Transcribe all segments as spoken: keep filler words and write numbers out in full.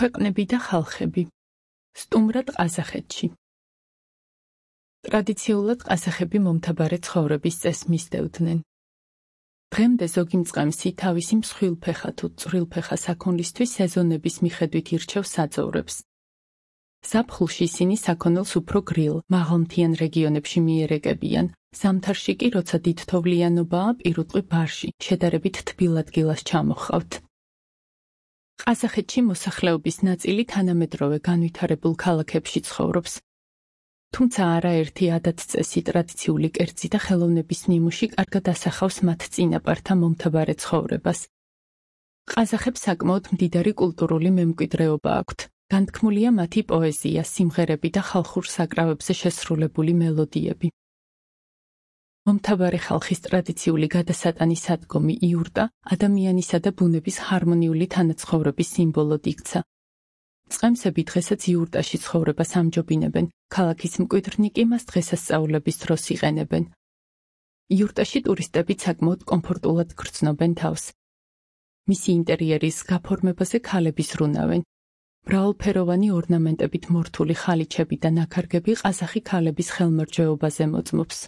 ქვეყნები და ხალხები. სტუმრად ყაზახეთში. ტრადიციულად ყაზახები მომთაბარე ცხოვრების წესს მისდევდნენ. დღემდე ზოგი მწყემსი თავისი მსხვილფეხა თუ წვრილფეხა საქონლისთვის სეზონების მიხედვით ირჩევს საძოვრებს. ზაფხულში ისინი საქონელს უფრო გრილ, მაღალმთიან რეგიონებში მიერეკებიან, ზამთარში კი, როცა დიდთოვლიანობაა, პირუტყვი ბარში, შედარებით თბილ ადგილას ჩამოჰყავთ. ყაზახეთში მოსახლეობის ნაწილი თანამედროვე განვითარებულ ქალაქებში ცხოვრობს. თუმცა არაერთი ადათ-წესი, ტრადიციული კერძი და ხელოვნების ნიმუში კარგად ასახავს მათ წინაპართა მომთაბარე ცხოვრებას. ყაზახებს საკმაოდ მდიდარი კულტურული მემკვიდრეობა აქვთ. განთქმულია მათი პოეზია, სიმღერები და ხალხურ საკრავებზე შესრულებული მელოდიები. მომთაბარე ხალხის ტრადიციული გადასატანის ადგომი იურტა ადამიანისა და ბუნების ჰარმონიული თანაცხოვრების სიმბოლოდ იქცა. წყემსები დღესაც იურტაში ცხოვრებას ამჯობინებენ, ქალაქის მკვიდრნი კი მას დღესასწაულების დროს იყენებენ. იურტაში ტურისტები საკმაოდ კომფორტულად გრძნობენ თავს. მისი ინტერიერის გაფორმებაზე ქალები ზრუნავენ. მრავალფეროვანი ორნამენტებით მორთული ხალიჩები და ნაქარგები ყაზახი ქალების ხელმერჯეობაზე მოწმობს.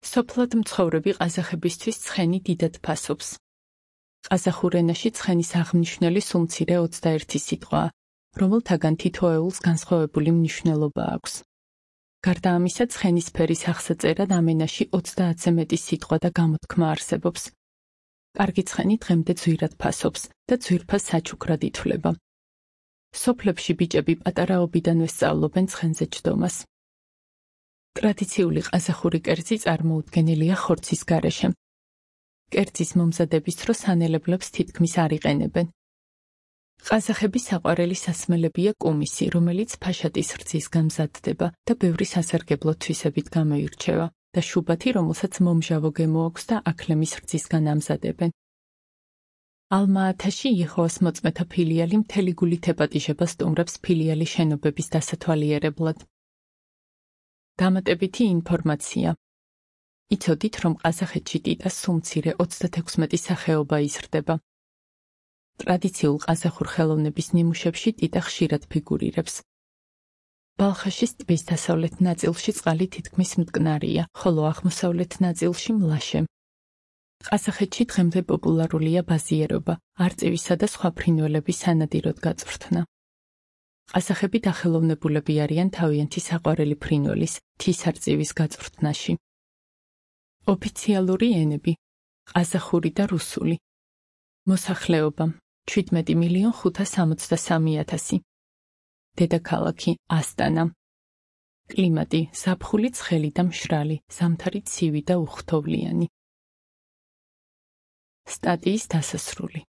სოფლად მცხოვრები ყაზახებისთვის ცხენი დიდად ფასობს. ყაზახურ ენაში ცხენის აღმნიშვნელი სულ მცირე ოცდაერთი სიტყვაა, რომელთაგან თითოეულს განსხვავებული მნიშვნელობა აქვს. გარდა ამისა, ცხენის ფერის აღსაწერად ამ ენაში ოცდაათზე მეტი სიტყვა და გამოთქმა არსებობს. კარგი ცხენი დღემდე ძვირად ფასობს და ძვირფას საჩუქრად ითვლება. სოფლებში ბიჭები პატარაობიდანვე სწავლობენ ცხენზე ჯდომას. ტრადიციული ყაზახური კერძი წარმოუდგენელია ხორცის გარეშე. კერძის მომზადების დროს სანელებლებს თითქმის არ იყენებენ. ყაზახების საყვარელი სასმელებია კუმისი, რომელიც ფაშატის რძისგან მზადდება და ბევრი სასარგებლო თვისებით გამოირჩევა, და შუბათი, რომელსაც მომჟავო გემო აქვს და აქლემის რძისგან ამზადებენ. ალმა-ათაში იეჰოვას მოწმეთა ფილიალი მთელი გულით ეპატიჟება სტუმრებს ფილიალის შენობების დასათვალიერებლად. დამატებითი ინფორმაცია. იცოდით, რომ ყაზახეთში ტიტას სულ მცირე ოცდათექვსმეტი სახეობა იზრდება. ტრადიციულ ყაზახურ ხელოვნების ნიმუშებში ტიტა ხშირად ფიგურირებს. ბალხაშის ტბის დასავლეთ ნაწილში წყალი თითქმის მტკნარია, ხოლო აღმოსავლეთ ნაწილში მლაშე. ყაზახეთში დღემდე პოპულარულია ბაზიერობა, არწივისა და სხვა ფრინველების სანადიროდ გაწვრთნა. ყაზახები დახელოვნებულები არიან თავიანთი საყვარელი ფრინველის, მთის არწივის გაწვრთნაში. ოფიციალური ენები: ყაზახური და რუსული. მოსახლეობა: შვიდმეტი მილიონ ხუთას სამოცდასამი ათასი. დედაქალაქი: ასტანა. კლიმატი: ზაფხული ცხელი და მშრალი, ზამთარი ცივი და უხთოვლიანი. სტატიის დასასრული.